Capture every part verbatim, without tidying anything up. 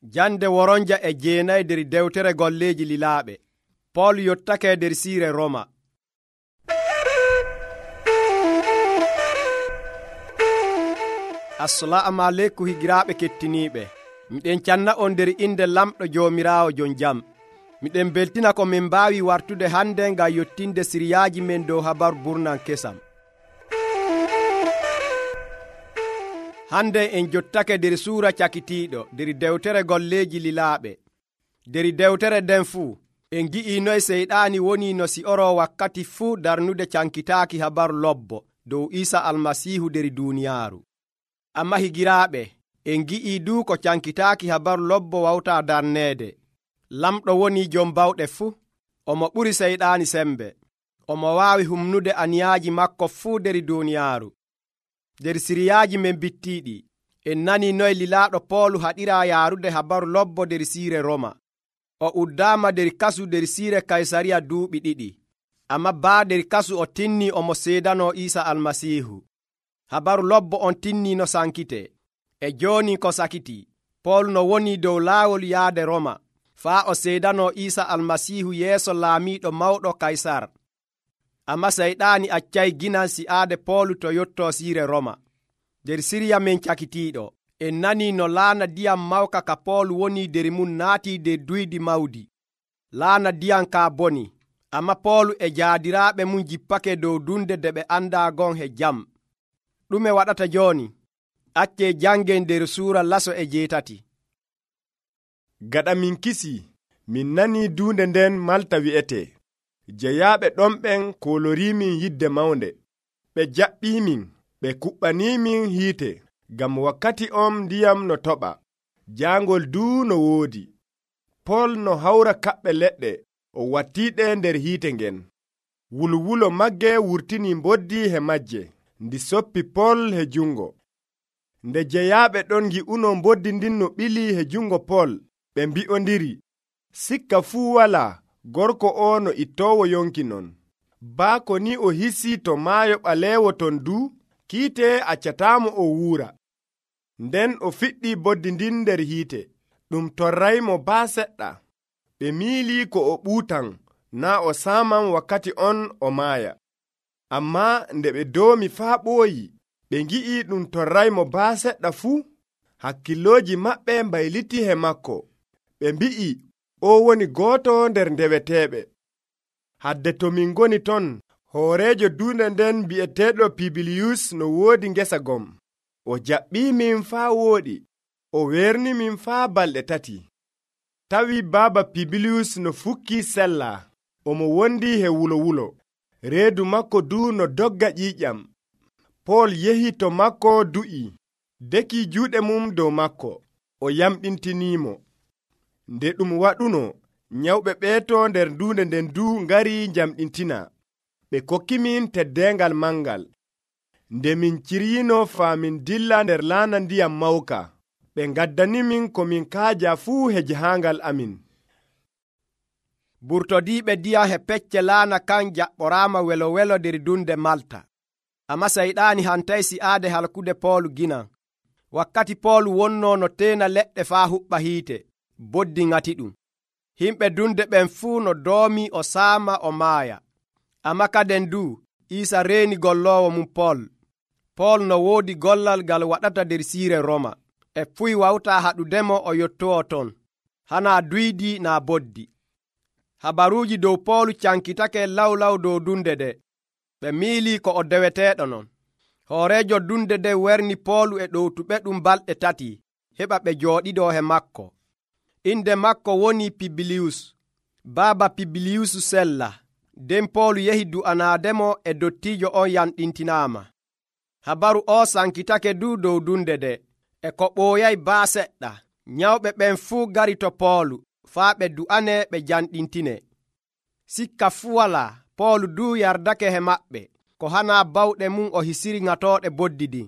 Jande woronja e jeenayi nder dewtere golleeji lilaaɓe. Pool yottake nder siire Roma. Assalamu aleykum higiraaɓe kettiniiɓe. Miɗen canna on nder inde lamɗo Joomiraawo jon jam. Miɗen beltina ko min mbaawi wartude hande ngam yottinde siriyaaji men dow habaru burnan kesam. Hande en jottake nder suura cakitiiɗo nder dewtere golleeji lilaaɓe. Nder dewtere nden fuu en gi'i noye seyɗaani woni no si'oro wakkati fuu darnude cankitaaki habaru lobbo dow Iisa Almasiihu nder duuniyaaru. Amma higiraaɓe, en gi'i du ko cankitaaki habaru lobbo wawtaa darneede. Lamɗo woni jom bawɗe fuu, omo ɓuri seyɗaani sembe. Omo waawi humnude aniyaaji makko fuu nder duuniyaaru. Nder siriyaaji men bittiiɗi, en nani noye lilaaɗo Poolu haɗiraa yaarude habaru lobbo nder siire Roma. O uddaama nder kasu nder siire Kaysariya duuɓi ɗiɗi. Amma baa nder kasu o tinni omo seedanoo Iisa Almasiihu. Habaru lobbo on tinni no sankite. E jooni ko sakiti, Poolu no woni dow laawol yaade Roma, faa o seedanoo Iisa Almasiihu yeeso laamiiɗo mawɗo Kaysar. Amma seyɗaani accay ginan si'aade Poolu to yottoo siire Roma. Nder siriya men cakitiiɗo, en nanii no laana diyam mawka ka Poolu woni nder mum naatii nder duydi mawdi. Laana diyam kaa boni, amma Poolu e jaadiraaɓe mum jippake dow dunde nde ɓe andaa gon he jam. Ɗume waɗata jooni? Accee jangen nder suura laso e jeetati. Gaɗa min kisii, min nanii duunde nden Malta wi'etee. Jeyaaɓe ɗon ɓen kooloriimin yidde mawnde. Ɓe jaɓɓiimin, ɓe kuɓɓaniimin hiite, ngam wakkati on ndiyam no toɓa. Jaangol duu no woodi. Pool no hawra kaɓɓe leɗɗe, o wattiiɗe nder hiite ngen. Wulwulo magge wurtinii mboddi he majje, ndi soppi Pool he jungo. Nde jeyaaɓe ɗon ngi'uno mboddi ndin no ɓilii he jungo Pool, ɓe mbi'ondiri, sikka fuu walaa, gorko o no ittoowo yonki non. Baako ni o hisii to maayo ɓaleewo ton du, kiite accataamo o wuura. Nden o fiɗɗii boddi ndin nder hiite, ɗum torraymo baa seɗɗa. Ɓe miilii ko o ɓuutan, naa o saaman wakkati on o maaya. Ammaa nde ɓe doomi faa ɓooyi, ɓe ngi'i ɗum torraymo baa seɗɗa fuu, hakkillooji maɓɓe mbayliti he makko. Ɓe mbi'i, o woni gooto nder ndeweteeɓe. Hadde to min ngoni ton, hooreejo duunde nden bi'eteeɗo Pibiliyus no woodi ngesa gom. O jaɓɓiimin faa wooɗi, o weernimin faa balɗe tati. Tawi baaba Pibiliyus no fukkii sellaa, omo wondi he wulo wulo. Reedu makko du no dogga ƴiiƴam. Pool yehi to makko du'i, dekii juuɗe mum dow makko, o yamɗintiniimo. Nde ɗum waɗuno, nyawɓe ɓeeto nder duunde nden du ngari njamɗintina. Ɓe kokkimin teddeengal mangal. Nde min ciryino faa min dilla nder laana ndiyam mawka, ɓe ngaddanimin ko min kaaja fuu he jahaangal amin. Burtodiiɓe diyam he pecce laana kan jaɓɓoraama welo welo nder dunde Malta. Amma seyɗaani hantay si'aade halkude Poolu ginan. Wakkati Poolu wonnoo no teena leɗɗe faa huɓɓa hiite, boddi ŋati ɗum. Himɓe dunde ɓen fuu no doomi o saama o maaya. Amma kaden du, Iisa reeni golloowo mum Pool. Pool no woodi gollal ngal waɗata nder siire Roma. E fuy wawtaa haɗudemo o yottoo ton, hanaa duydi naa boddi. Habaruuji dow Poolu cankitake lawlaw dow dunde de. Ɓe miilii ko o deweteeɗo non. Hooreejo dunde de werni Poolu e ɗowtuɓe ɗum balɗe tati, heɓa ɓe jooɗiɗoo he makko. Inde makko woni Pibiliyus. Baaba Pibiliyus sella. Nden Poolu yehi du'anaademo e dottiijo on yanɗintinaama. Habaru o sankitake du dow dunde de. E ko ɓooyay baa seɗɗa, nyawɓe ɓen fuu gari to Poolu, faa ɓe du'ane ɓe janɗintine. Sikka fuu walaa, Poolu du yardake he maɓɓe, ko hanaa bawɗe mum o hisiri ŋatooɗe boddi ɗin,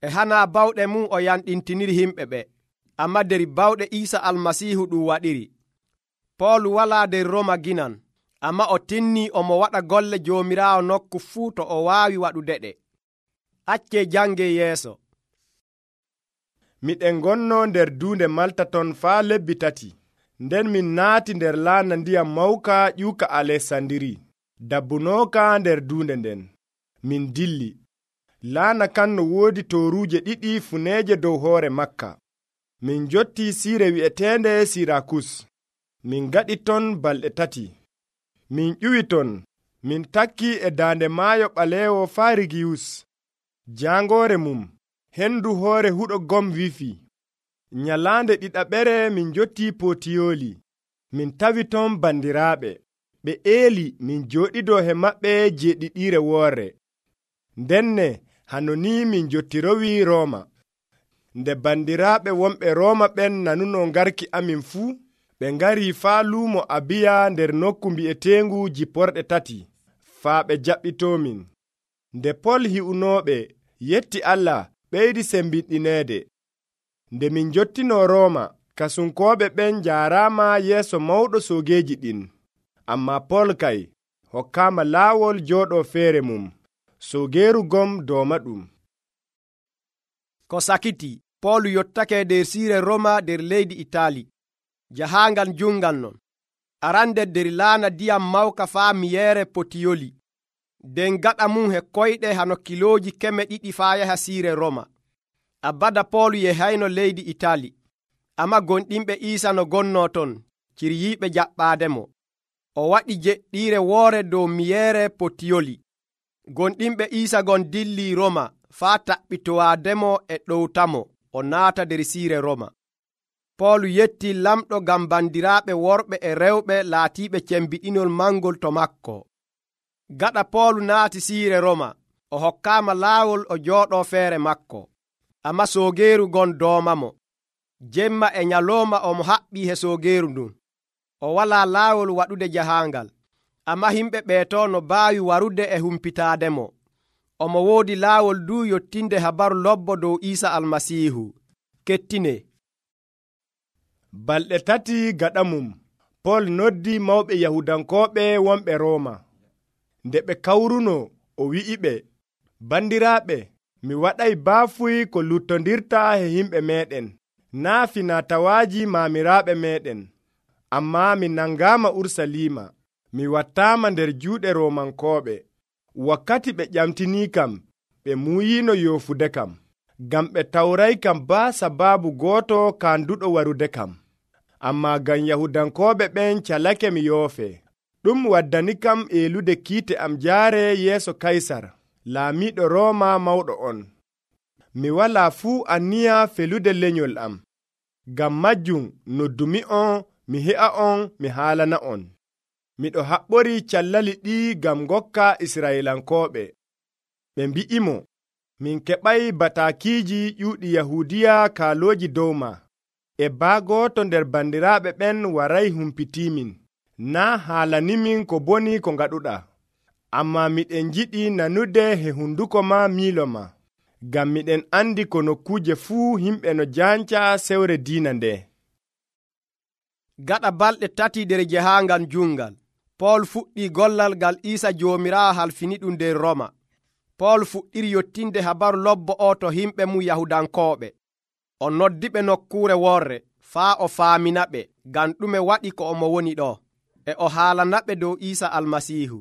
e hanaa bawɗe mum o yanɗintiniri himɓe ɓe. Amma nder bawɗe Iisa Almasiihu ɗum waɗiri. Poolu walaa nder Roma ginan, amma o tinnii omo waɗa golle Joomiraawo nokku fuu to o waawi waɗude ɗe. Accee jange yeeso. miɗen gonno nder duunde Malta ton faa lebbi tati. Nden min naati nder laana ndiyam mawka ƴiwka Alesandiri. Dabbunooka nder duunde nden. Min dilli. Laana kan no woodi tooruuje ɗiɗi funeeje dow hoore Makka. Min jotti siire wi'eteende Sirakus. Min gaɗi ton balɗe tati. Min ƴuwi ton. Min takki e daande maayo ɓaleewo faa Rigiyus. Jaangoore mum, hendu hoore huɗo gom wifi. Nyalaande ɗiɗaɓere min jotti Potiyooli. Min tawi ton bandiraaɓe. Ɓe eeli min jooɗidoo he maɓɓe jeeɗiɗiire woore. Ndenne hanoni min jottirowi Rooma. Nde bandiraaɓe wonɓe Rooma ɓen nanuno ngarki amin fuu, ɓe ngari faa luumo Abiya nder nokku mbi'eteengu Jiporɗe tati, faa ɓe jaɓɓitoomin. Nde Pol hi'unooɓe yetti Allah ɓeydi sembinɗineede. Nde min jottinoo Rooma, kasunkooɓe ɓen jaaraama yeeso mawɗo soogeeji ɗin. Ammaa Pol kay hokkaama laawol jooɗoo feere mum. Soogeeru gom dooma ɗum. Ko sakiti, Pol yottake nder siire Roma nder leydi Itaali. Jahaangal jungal non. Arande nder laana ndiyam mawka faa miyeere Potiyoli. nden gaɗa mum he koyɗe hano kilooji keme ɗiɗi faa yaha siire Roma. Abada Poolu yehayno leydi Itaali, amma gonɗinɓe Iisa no gonno ton ciryiiɓe jaɓɓaademo. O waɗi jeɗɗiire woore dow miyeere Potiyoli. Gonɗinɓe Iisa gon dilli Roma faa taɓɓitowaademo e ɗowtamo o naata nder siire Roma. Poolu yetti lamɗo ngam bandiraaɓe worɓe e rewɓe laatiiɓe cembiɗinol mangol to makko. Gaɗa Poolu naati siire Roma, o hokkaama laawol o jooɗoo feere makko, amma soogeeru gon doomamo. Jemma e nyalooma omo haɓɓii he soogeeru ndun. O walaa laawol waɗude jahaangal, amma himɓe ɓeeto no baawi warude e humpitaademo. Omo woodi laawol du yottinde habaru lobbo dow Iisa Almasiihu. Kettine. Balɗe tati gaɗa mum, Pol noddi mawɓe Yahudankooɓe wonɓe Rooma. Nde ɓe kawruno, o wi'iɓe, bandiraaɓe, mi waɗay baafuy ko luttondirta he himɓe meeɗen, naa finatawaaji maamiraaɓe meeɗen. Ammaa mi nangaama Ursaliima, mi wattaama nder juuɗe Roomankooɓe. Wakkati ɓe ƴamtinii kam, ɓe muuyiino yoofude kam, ngam ɓe tawray kam baa sabaabu gooto kaanduɗo warude kam. Ammaa ngam Yahudankooɓe ɓen calake mi yoofe. Ɗum waddani kam eelude kiite am jaare yeeso Kaysar, laamiiɗo Rooma mawɗo on. Mi walaa fuu anniya felude lenyol am. Ngam majjum noddumi'on mi he'a on mi haalana on. Miɗo haɓɓori callali ɗi ngam ngokka Israylankooɓe. Ɓe mbi'imo, min keɓay bataakiiji ƴuuɗi Yahuudiya kaalooji dow ma. E baagooto nder bandiraaɓe ɓen waray humpitiimin, naa haalanimin ko boni ko ngaɗuɗa. Ammaa miɗen njiɗi nanude he hunduko ma miilo ma, ngam miɗen andi ko nokkuuje fuu himɓe no janca sewre diina nde. Gaɗa balɗe tati nder jahaangal jungal, Pool fuɗɗii gollal ngal Iisa Joomiraawo halfini ɗum nder Roma. Pool fuɗɗiri yottinde habaru lobbo o to himɓe mum Yahudankooɓe. O noddiɓe nokkuure worre faa o faaminaɓe ngam ɗume waɗi ko omo woni ɗo, e o haalanaɓe dow Iisa Almasiihu.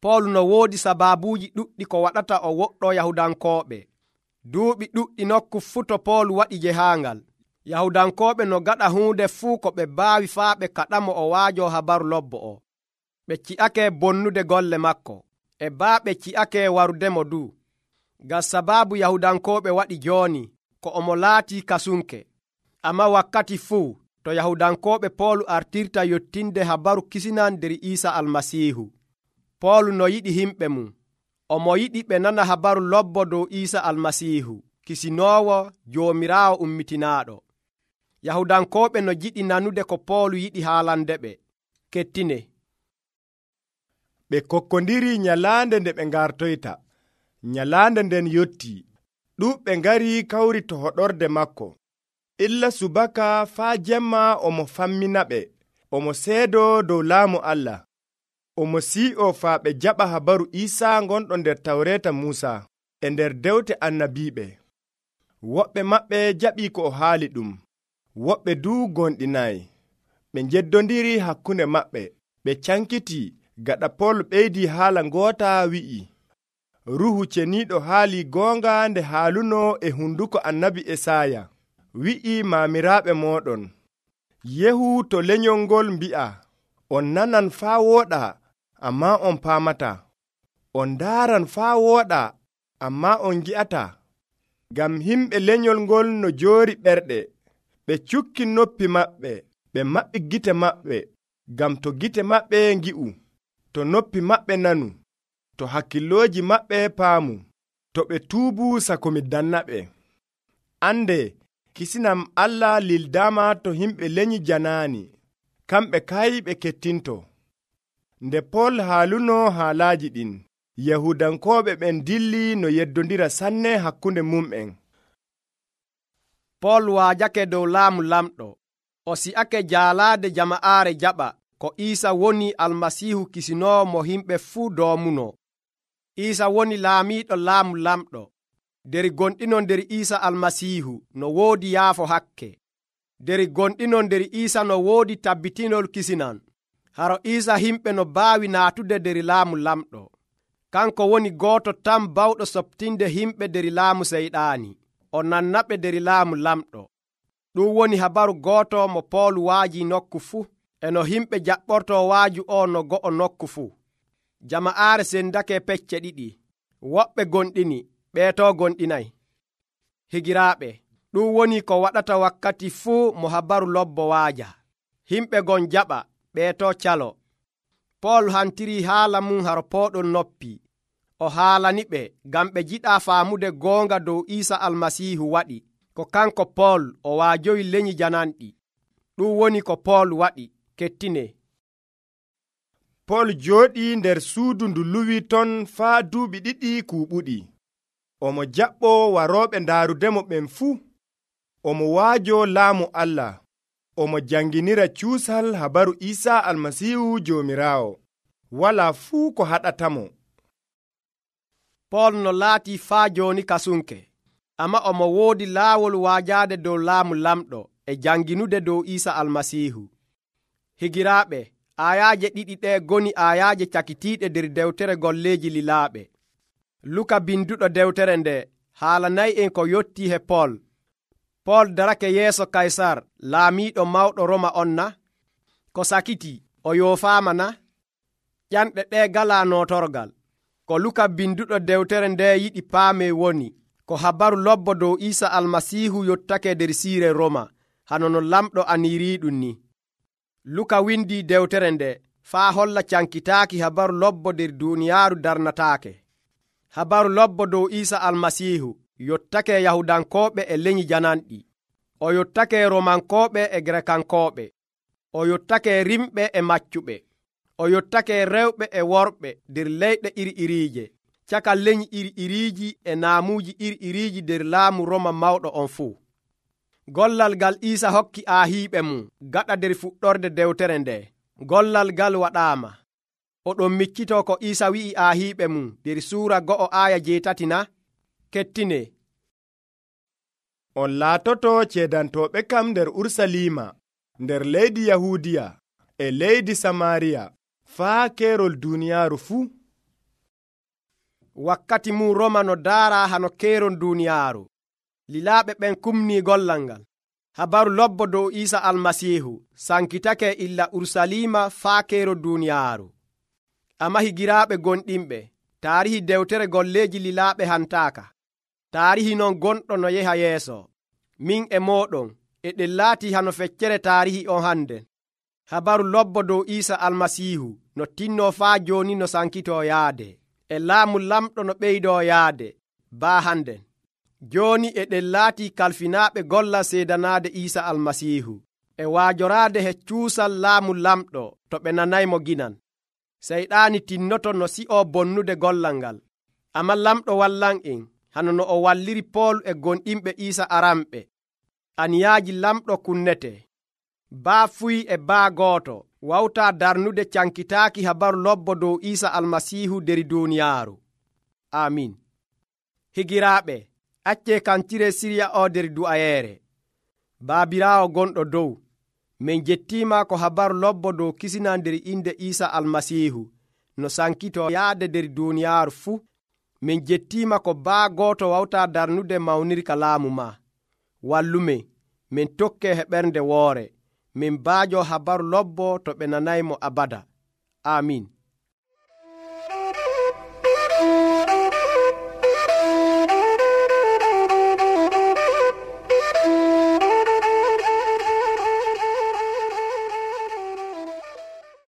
Pool no woodi sabaabuuji ɗuɗɗi ko waɗata o woɗɗo Yahudankooɓe. Duuɓi ɗuɗɗi nokku fuu to Pool waɗi jehaangal, Yahudankooɓe no gaɗa huunde fuu ko ɓe baawi faa ɓe kaɗamo o waajo habaru lobbo o. Ɓe ci'ake bonnude golle makko, e baa ɓe ci'ake warudemo du. Ngam sabaabu Yahudankooɓe waɗi jooni ko omo laatii kasunke. Amma wakkati fuu to Yahudankooɓe Poolu artirta yottinde habaru kisinan nder Iisa Almasiihu. Poolu no yiɗi himɓe mum. Omo yiɗi ɓe nana habaru lobbo dow Iisa Almasiihu, kisinoowo Joomiraawo ummitinaaɗo. Yahudankooɓe no jiɗi nanude ko Poolu yiɗi haalandeɓe. Kettine. Ɓe kokkondiri nyalaande nde ɓe ngartoyta. Nyalaande nden yottii. Ɗuuɓɓe ngari kawri to hoɗorde makko. Illa subaka faa jemma omo famminaɓe, omo seedo dow laamu Allah. Omo sii'o faa ɓe jaɓa habaru Iisa gonɗo nder Tawreeta Muusa e nder dewte annabiiɓe. woɓɓe maɓɓe jaɓii ko o haali ɗum, woɓɓe duu gonɗinayi. Ɓe njeddondiri hakkunde maɓɓe, ɓe cankiti gaɗa Pol ɓeydi haala ngoota wi'i, Ruuhu Ceniiɗo haali goonga nde haaluno e hunduko annabi Esaya, wi'i maamiraaɓe mooɗon, yehu to lenyol ngol mbi'a, on nanan faa wooɗa, ammaa on paamata, on ndaaran faa wooɗa, ammaa on ngi'ata. Ngam himɓe lenyol ngol no joori ɓerɗe, ɓe cukki noppi maɓɓe, ɓe maɓɓi gite maɓɓe, ngam to gite maɓɓe ngi'u, to noppi maɓɓe nanu, to hakkillooji maɓɓe paamu, to ɓe tuubu sako mi dannaɓe. Ande, kisinam Allah lildaama to himɓe lenyi janaani, kamɓe kay ɓe kettinto. Nde Pol haaluno haalaaji ɗin, Yahudankooɓe ɓen dilli no yeddondira sanne hakkunde mum'en. Pol waajake dow laamu lamɗo, o si'ake jaalaade jama'aare jaɓa ko Iisa woni Almasiihu kisinoowo mo himɓe fuu doomuno. Iisa woni laamiiɗo laamu lamɗo. Der gonɗinon nder Iisa Almasiihu no woodi yaafo hakke. Der gonɗinon nder Iisa no woodi tabbitinol kisinan. Haro Iisa himɓe no baawi naatude der laamu lamɗo. Kanko woni gooto tan bawɗo soɓtinde himɓe der laamu seyɗaani. O nannaɓe der laamu lamɗo. Ɗum woni habaru gooto mo Pool waaji nokku fuu, e no himɓe jaɓɓorto waaju o no go'o nokku fuu. Jama'aare sendake pecce ɗiɗi, woɓɓe gonɗini, ɓeeto gonɗinayi. Higiraaɓe, ɗum woni ko waɗata wakkati fuu mo habaru lobbo waaja. Himɓe gon jaɓa, ɓeeto calo. Pool hantiri haala mum haro pooɗon noppi. O haalaniɓe ngam ɓe jiɗa faamude goonga dow Iisa Almasiihu waɗi ko kanko Pool o waajoyi lenyi jananɗi. Ɗum woni ko Pool waɗi. Kettine. Pol jooɗii nder suudu ndu luwi ton faa duuɓi ɗiɗi kuuɓuɗi. Omo jaɓɓo warooɓe ndaarudemo ɓen fuu. Omo waajo laamu Allah. Omo janginira cuusal habaru Iisa Almasiihu Joomiraawo. Walaa fuu ko haɗatamo. Pol no laati faa jooni kasunke, amma omo woodi laawol waajaade dow laamu lamɗo e janginude dow Iisa Almasiihu. Higiraaɓe, aayaaje ɗiɗi ɗe goni aayaaje cakitiiɗe nder dewtere golleeji lilaaɓe. Luka binduɗo dewtere nde haalanayi en ko yotti he Pol. Pol darake yeeso Kaysar laamiiɗo mawɗo Roma on na? Ko sakiti o yoofaama na? Ƴanɗe ɗe galaa nootorgal. Ko Luka binduɗo dewtere nde yiɗi paame woni ko habaru lobbo dow Iisa Almasiihu yottake nder siire Roma, hano no lamɗo aniriiɗum ni. Luka windi dewtere nde faa holla cankitaaki habaru lobbo nder duuniyaaru darnataake. Habaru lobbo dow Iisa Almasiihu yottake Yahudankooɓe e lenyi jananɗi. O yottake Romankooɓe e Grekankooɓe. O yottake rimɓe e maccuɓe. O yottake rewɓe e worɓe nder leyɗe iri-iriije, caka lenyi iri-iriiji e naamuuji iri-iriiji nder laamu Roma mawɗo on fuu. Gollal ngal Iisa hokki aahiiɓe mum gaɗa nder fuɗɗorde dewtere nde. Gollal ngal waɗaama. Oɗon miccitoo ko Iisa wi'i aahiiɓe mum nder suura go'o aaya jeetati na? Kettine. On laatoto ceedantooɓe kam nder Ursaliima, nder leydi Yahuudiya e leydi Samaariya, faa keerol duuniyaaru fuu. Wakkati mum Roma no daara hano keeron duuniyaaru. Lilaaɓe ɓen kumnii gollal ngal. Habaru lobbo dow Iisa Almasiihu sankitake illa Ursaliima faa keero duuniyaaru. Amma higiraaɓe gonɗinɓe, taarihi dewtere golleeji lilaaɓe hantaaka. Taarihi non gonɗo no yeha yeeso. Min e mooɗon e ɗen laati hano feccere taarihi on hande. Habaru lobbo dow Iisa Almasiihu no tinno faa jooni no sankitoo yaade. E laamu lamɗo no ɓeydoo yaade baa handen. Jooni e ɗen laati kalfinaaɓe gollal seedanaade Iisa Almasiihu e waajoraade he cuusal laamu lamɗo to ɓe nanaymo ginan. Seyɗaani tinnoto no si'oo bonnude gollal ngal. Amma lamɗo wallan en hano no o walliri Pool e gonɗinɓe Iisa aramɓe. Aniyaaji lamɗo kunnete. Baa fuyi e baa gooto wawtaa darnude cankitaaki habaru lobbo dow Iisa Almasiihu nder duuniyaaru. Amin. Higiraaɓe, Acce kancire sirya o nder du'ayeere. Baabiraawo gonɗo dow, min jettiima ko habaru lobbo dow kisina nder inde Iisa almasiihu no sankito yaade nder duuniyaaru fuu. Min jettiima ko baa gooto wawtaa darnude mawnirka laamu ma. Wallume min tokke heɓernde woore, min baajo habaru lobbo to ɓe nanaymo abada. Amiin.